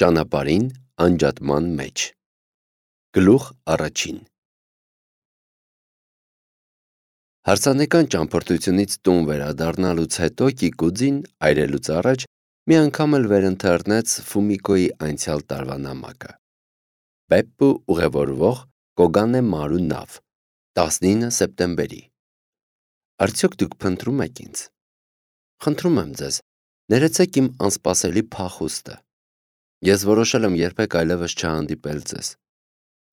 Ճանապարհին անջատման մեջ։ Գլուխ առաջին։ Հարսանեկան ճամփորդությունից տուն վերադառնալուց հետո Կիկուձին այրելուց առաջ մի անգամ էլ վերընթեռնեց Ֆումիկոյի անցյալ տարվա նամակը։ Բեպպու ուղևորվող Կոգանե Մարու նավ 19 սեպտեմբերի։ Արդյոք դուք փնտրում եք ինձ։ Խնդրում եմ ձեզ, ներեցեք իմ անսպասելի փախուստը։ Ես որոշել եմ երբեք այլևս չհանդիպել ձեզ։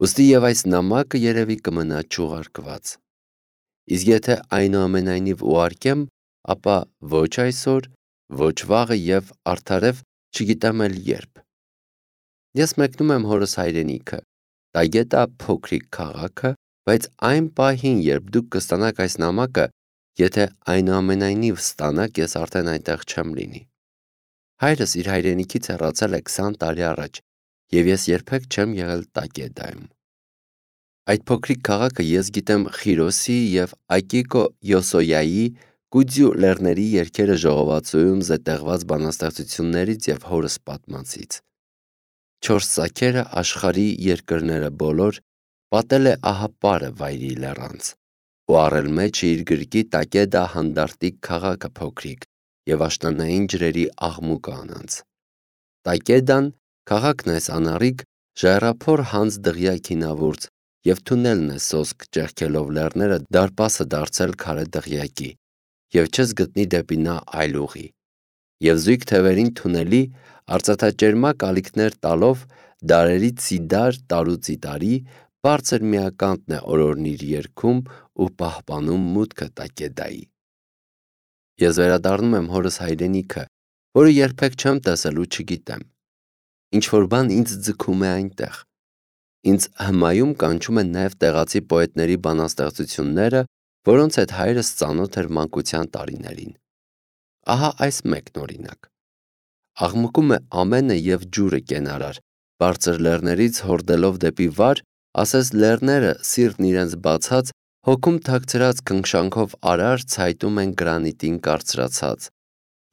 Ուստի եւ այս նամակը երևի կմնա չուղարկված։ Իսկ եթե այնուամենայնիվ ուղարկեմ, ապա ոչ այսօր, ոչ վաղը եւ արդարև չգիտեմ էլ երբ։ Ես մեկնում եմ հորս հայրենիքը, Տագետա փոքրիկ քաղաքը, բայց այն պահին, երբ դուք կստանաք այս նամակը, եթե այնուամենայնիվ ստանաք, ես արդեն այնտեղ չեմ լինի։ Հայրս իր հայրենիքից հեռացել է 20 տարի առաջ, եւ ես երբեք չեմ եղել Տագետայում։ Այդ փոքրիկ քաղաքը ես գիտեմ Խիրոսի եւ Ակիկո Յոսոյայի Կուձյու լեռների երգերը ժողովածուում զետեղված բանաստեղծություններից եւ հորս պատմածից։ 4 սաքերը աշխարհի երկրները բոլոր պատել է ահապարը վայրի լեռանց, ու առել մեջը իր գրկի Տագետա հանդարտիկ քաղաքը փոքրիկ եւ աշնանային ջրերի աղմուկը անանց։ Տագետան քաղաքն այս անառիկ ժայռափոր հանց դղյա քինավուրց եւ թունելն է սոսկ ճեղքելով լեռները դարպասը դարձել քարե դղյակի եւ չես գտնի դեպի նա այլ ուղի։ Եվ զույգ թևերին թունելի արծաթաճերմակ ալիքներ տալով դարերից սիդար տարուց ի տարի բարձր միականտն է օրորնիր երգում ու պահպանում մուտքը Տագետայի։ Ես վերադառնում եմ հորս հայրենիքը, որը երբեք չեմ տեսել ու չգիտեմ։ Ինչ որ բան ինձ ձգում է այնտեղ։ Ինձ հմայում կանչում են նաև տեղացի պոետների բանաստեղծությունները, որոնց հետ հայրս ծանոթ էր մանկության տարիներին։ Ահա այս մեկն օրինակ։ Աղմկում է ամենը եւ ջուրը կենարար, բարձր լեռներից հորդելով դեպի վար, ասես լեռները սիրտն իրենց բացած, հոգում թաքցրած քնքշանքով արար ցայտում են գրանիտին կարծրացած,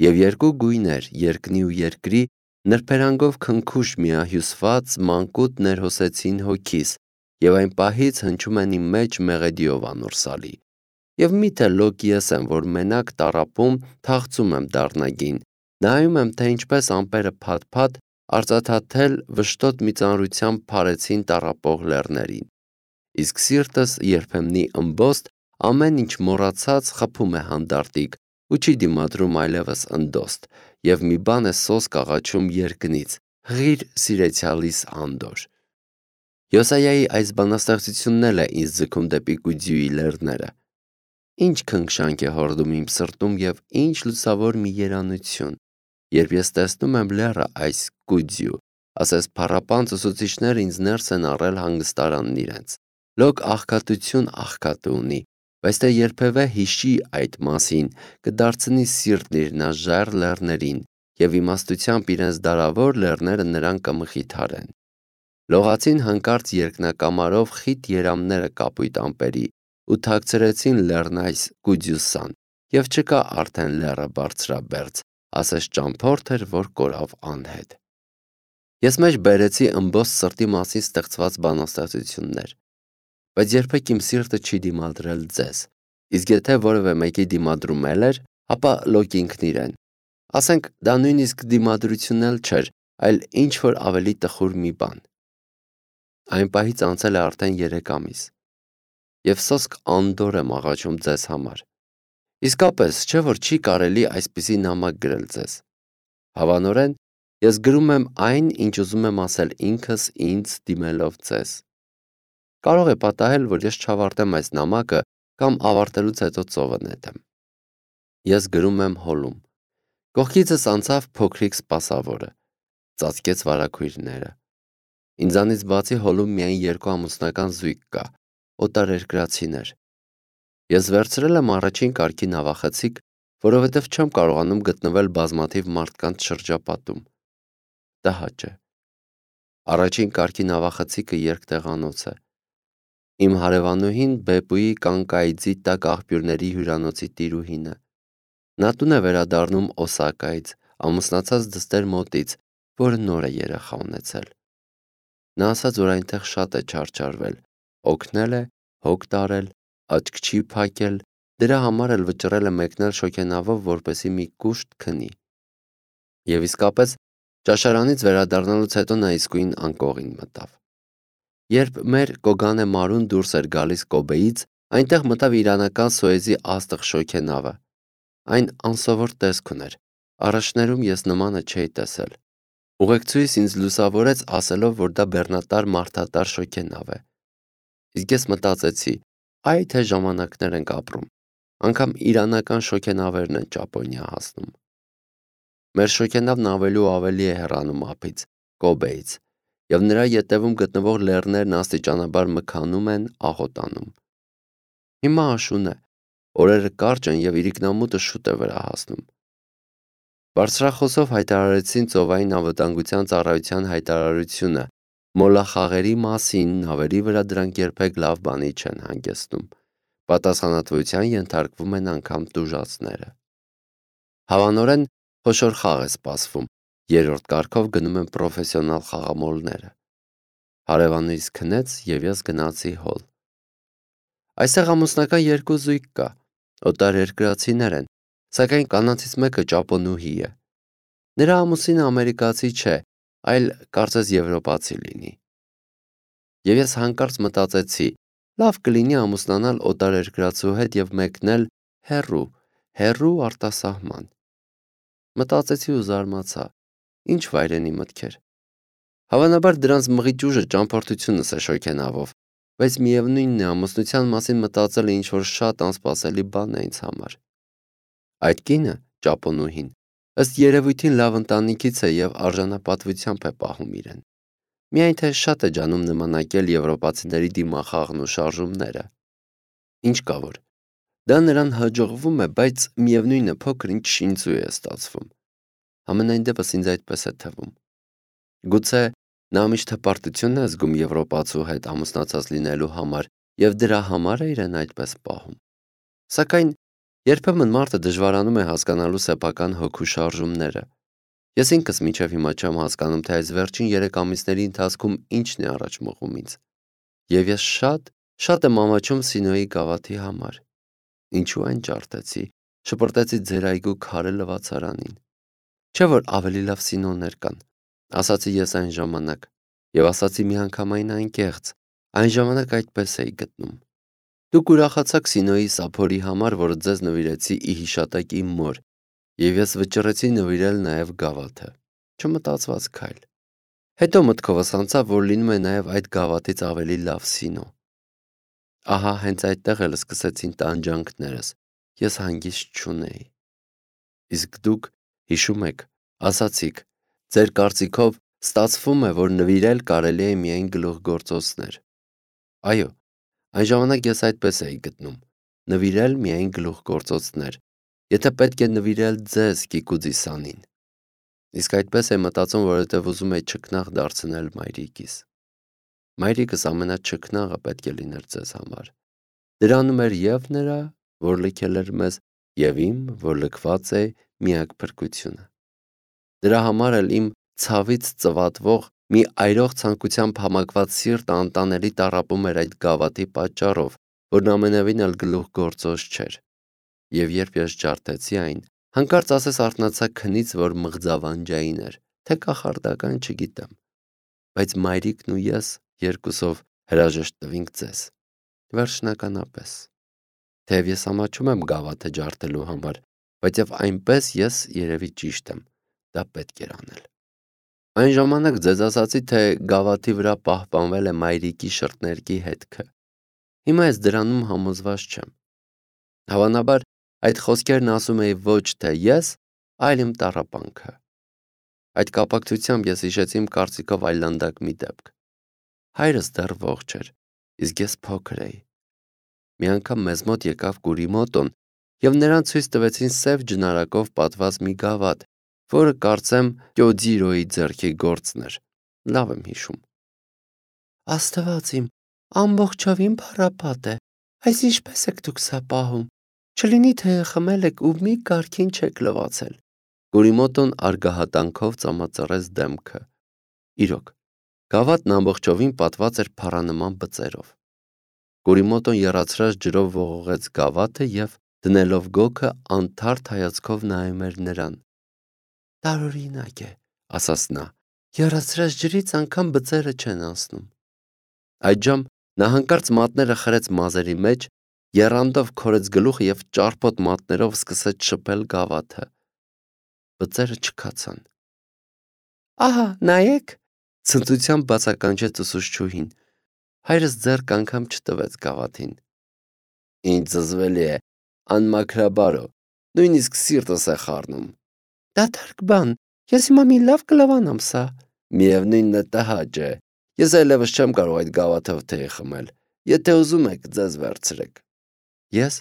եւ երկու գույներ, երկնի ու երկրի, նրբերանգով քնքուշ միահյուսված մանկուտ ներհոսեցին հոգիս, եւ այն պահից հնչում են իմ մեջ մեղեդիով անորսալի։ Եվ միթե լոկ ես եմ, որ մենակ տառապում թախծում եմ դառնագին, նայում եմ, թե ինչպես ամպերը փաթ-փաթ արծաթաթել վշտոտ մի ծանրությամբ փարեցին տառապող լեռներին։ Իսկ սիրտս երբեմնի ըմբոստ ամեն ինչ մոռացած խփում է հանդարտիկ ու չի դիմադրում այլևս ընդոստ, եւ մի բան է սոսկ աղաչում երկնից. «Ղիր սիրեցյալիս Անդոր»։ Յոսայայի այս բանաստեղծությունն էլ է ինձ ձգում դեպի Կուձյուի լեռները։ Ինչ քնքշանք է հորդում իմ սրտում եւ ինչ լուսավոր մի երանություն, երբ ես տեսնում եմ լեռը այս Կուձյու, ասես փառապանծ ուսուցիչները ինձ ներս են առել հանգստարանն իրենց։ Լոկ աղքատություն աղքատը ունի, բայց թե երբևէ հիշի այդ մասին, կդարձնի սիրտն իր նաժայռ լեռներին եւ իմաստությամբ իրենց դարավոր լեռները նրան կմխիթարեն։ Լողացին հանկարծ երկնակամարով խիտ երամները կապույտ ամպերի ու թաքցրեցին լեռն այս Կուձյուսան, եւ չկա արդեն լեռը բարձրաբերձ, ասես ճամփորդ էր, որ կորավ անհետ։ Ես մեջ բերեցի ըմբոստ սրտի մասին ստեղծված բանաստեղծություններ, բայց երբեք իմ սիրտը չի դիմադրել ձեզ, իսկ եթե որևէ մեկի դիմադրում էր, ապա լոկ ինքն իրեն։ Ասենք դա նույնիսկ դիմադրություն էլ չէր, այլ ինչ որ ավելի տխուր մի բան։ Այն պահից անցել է արդեն 3 ամիս, եւ սոսկ Անդոր եմ աղաչում ձեզ համար։ Իսկապես, չէ՞ որ չի կարելի այսպիսի նամակ գրել ձեզ։ Հավանորեն, ես գրում եմ այն, ինչ ուզում եմ ասել ինքս ինձ դիմելով ձեզ։ Կարող է պատահել, որ ես չավարտեմ այս նամակը կամ ավարտելուց հետո ծովը նետեմ։ Ես գրում եմ հոլում։ Կողքիցս անցավ փոքրիկ սպասավորը, ծածկեց վարագույրները։ Ինձանից բացի հոլում միայն 2 ամուսնական զույգ կա, օտարերկրացիներ։ Ես վերցրել եմ առաջին կարգի նավախցիկ, որովհետև չեմ կարողանում գտնվել բազմաթիվ մարդկանց շրջապատում։ Տհաճ է։ Առաջին կարգի նավախցիկը երկտեղանոց է։ Իմ հարևանուհին Բեպուի կանկայձի տակ աղբյուրների հյուրանոցի տիրուհին է։ Նա տուն է վերադառնում Օսակայից, ամուսնացած դստեր մոտից, որը նոր է երեխա ունեցել։ Նա ասաց, որ այնտեղ շատ է չարչարվել, օգնել է, հոգ տարել, աչք չի փակել, դրա համար էլ վճռել է մեկնել շոգենավով, որպեսզի մի կուշտ քնի։ Եվ իսկապես, ճաշարանից վերադառնալուց հետո նա իսկույն անկողին մտավ։ Երբ մեր Կոգանե Մարուն դուրս էր գալիս Կոբեից, այնտեղ մտավ իրանական Սոեզի աստղ շոգենավը։ Այն անսովոր տեսք ուներ, առաջներում ես նմանը չէի տեսել։ Ուղեկցուհիս ինձ լուսավորեց ասելով, որ դա բեռնատար մարդատար շոգենավ է։ Իսկ ես մտածեցի, այ թե ժամանակներ ենք ապրում, անգամ իրանական շոգենավերն են Ճապոնիա հասնում։ Մեր շոգենավն ավելի ու ավելի է հեռանում ափից, Կոբեից, և նրա ետևում գտնվող լեռներն աստիճանաբար մքանում են, աղոտանում։ Հիմա աշուն է, օրերը կարճ են և իրիկնամուտը շուտ է վրա հասնում։ Բարձրախոսով հայտարարեցին ծովային անվտանգության ծառայության հայտարարությունը, մոլախաղերի մասին նավերի վրա դրանք երբեք լավ բանի չեն հանգեցնում, պատասխանատվության ենթարկվում են անգամ տուժածները։ Հավանորեն խոշոր խաղ է սպասվում, երրորդ կարգով գնում են պրոֆեսիոնալ խաղամոլները։ Հարևանուհիս քնեց և ես գնացի հոլ։ Այստեղ ամուսնական երկու զույգ կա, օտարերկրացիներ են, սակայն կանանցից մեկը ճապոնուհի է։ Նրա ամուսինը ամերիկացի չէ, այլ կարծես եվրոպացի լինի։ Եվ ես հանկարծ մտածեցի, լավ կլինի ամուսնանալ օտարերկրացու հետ և մեկնել հեռու արտասահման։ Մտածեցի ու զարմացա, ինչ վայրենի մտքեր։ Հավանաբար դրանց մղիչ ուժը ճամփորդությունս է շոգենավով, բայց միևնույնն է, ամուսնության մասին մտածելը ինչ-որ շատ անսպասելի բան է ինձ համար։ Այդ կինը, ճապոնուհին, ըստ երևույթին լավ ընտանիքից է և արժանապատվությամբ է պահում իրեն։ Միայն թե շատ է ջանում նմանակել եվրոպացիների դիմախաղն ու շարժումները։ Ինչ կա որ, դա նրան հաջողվում է, բայց միևնույնն է, փոքր-ինչ շինծու է ստացվում։ Համենայն դեպս ինձ այդպես է թվում։ Գուցե նա միշտ հպարտություն է զգում եվրոպացու հետ ամուսնացած լինելու համար և դրա համար է իրեն այդպես պահում։ Սակայն երբեմն մարդը դժվարանում է հասկանալու սեփական հոգու շարժումները։ Ես ինքս մինչև հիմա չեմ հասկանում, թե այս վերջին 3 ամիսների ընթացքում ինչն է առաջ մղում ինձ։ Եվ ես շատ եմ ամաչում Սինոյի գավաթի համար։ Ինչու այն ջարդեցի, շպրտեցի ձեր այգու քարե լվացարանին։ Չէ՞ որ ավելի լավ Սինոներ կան, ասացի ես այն ժամանակ, և ասացի միանգամայն անկեղծ, այն ժամանակ այդպես էի գտնում։ Դուք ուրախացաք Սինոյի սափորի համար, որը ձեզ նվիրեցի ի հիշատակ իմ մոր, և ես վճռեցի նվիրել նաև գավաթը։ Չմտածված քայլ։ Հետո մտքովս անցավ, որ լինում է նաև այդ գավաթից ավելի լավ Սինո։ Ահա հենց այդտեղ էլ սկսեցին տանջանքներս, ես հանգիստ չունեի։ Իսկ դուք, հիշում եք, ասացիք, ձեր կարծիքով ստացվում է, որ նվիրել կարելի է միայն գլուխգործոցներ։ Այո, այն ժամանակ ես այդպես էի գտնում, նվիրել միայն գլուխգործոցներ, եթե պետք է նվիրել ձեզ, Կիկուձիսանին։ Իսկ այդպես է մտածում, որովհետև ուզում էի չքնաղ դարձնել մայրիկիս։ Մայրիկս ամենաչքնաղը պետք է լիներ ձեզ համար։ Դրանում էր և նրա, որ լքել էր մեզ, և իմ, որ լքված է միակ փրկությունը։ Դրա համար էլ իմ ցավից ծվատվող մի այրող ցանկությամբ համակված սիրտը անտանելի տառապում էր այդ գավաթի պատճառով, որն ամենևին էլ գլուխգործոց չէր։ Եվ երբ ես ջարդեցի այն, հանկարծ ասես արթնացա քնից, որ մղձավանջային էր, թե կախարդական չգիտեմ, բայց մայրիկն ու ես երկուսով հրաժեշտ տվինք ձեզ։ Վերջնականապես։ Թեև ես ամաչում եմ գավաթը ջարդելու համար, բայց և այնպես ես երևի ճիշտ եմ, դա պետք էր անել։ Այն ժամանակ ձեզ ասացի, թե գավաթի վրա պահպանվել է մայրիկի շրթներկի հետքը։ Հիմա ես դրանում համոզված չեմ։ Հավանաբար այդ խոսքերն ասում էի ոչ թե ես, այլ իմ տառապանքը։ Այդ կապակցությամբ ես հիշեցի իմ կարծիքով այլանդակ մի դեպք։ Հայրս դեռ ողջ էր, իսկ ես փոքր էի։ Մի անգամ մեզ մոտ եկավ Կուրիմոտոն և նրան ցույց տվեցին սև ջնարակով պատված մի գավաթ, որը կարծեմ Կյոջիրոյի ձեռքի գործն էր։ Լավ եմ հիշում։ Աստված իմ, ամբողջովին փառապատ է, այս ինչպես եք դուք սա պահում, չլինի թե խմել եք ու մի կարգին չեք լվացել։ Կուրիմոտոն արգահատանքով ծամածրեց դեմքը։ Իրոք, գավաթն ամբողջովին պատված էր փառանման բծերով։ Կուրիմոտոն եռացրած ջրով ողողեց գավաթը և, դնելով գոգը, անթարթ հայացքով նայում էր նրան։ «Տարօրինակ է», ասաց նա, «եռացրած ջրից անգամ բծերը չեն անցնում»։ Այդժամ նա հանկարծ մատները խրեց մազերի մեջ, եռանդով քորեց գլուխը և ճարպոտ մատներով սկսեց շփել գավաթը։ Բծերը չքացան։ «Ահա, նայեք», ցնծությամբ բացականչեց ուսուցչուհին։ Հայրս ձեռք անգամ չտվեց գավաթին։ «Ինձ զզվելի է, անմաքրաբարո, նույնիսկ սիրտս է խառնում»։ «Դատարկ բան, ես հիմա մի լավ կլավանամ սա»։ «Միևնույնն է, տհաճ է, ես այլևս չեմ կարող այդ գավաթով թեյ խմել, եթե ուզում եք, ձեզ վերցրեք»։ Ես,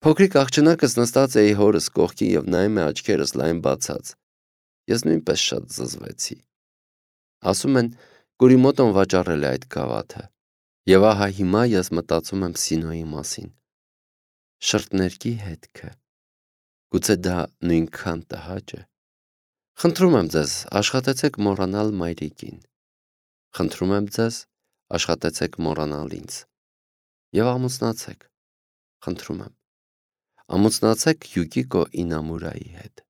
փոքրիկ աղջնակս, նստած էի հորս կողքին և նայում էի աչքերս լայն բացած։ Ես նույնպես շատ զզվեցի։ Ասում են, Կուրիմոտոն վաճառել է այդ գավաթը։ Եվ ահա հիմա ես մտածում եմ Սինոյի մասին։ Շրթներքի հետքը։ Գուցե դա նույնքան տհաճ է։ Խնդրում եմ ձեզ, աշխատեցեք մոռանալ մայրիկին։ Խնդրում եմ ձեզ, աշխատեցեք մոռանալ ինձ։ Եվ ամուսնացեք։ Խնդրում եմ։ Ամուսնացեք Յուկիկո Ինամուրայի հետ։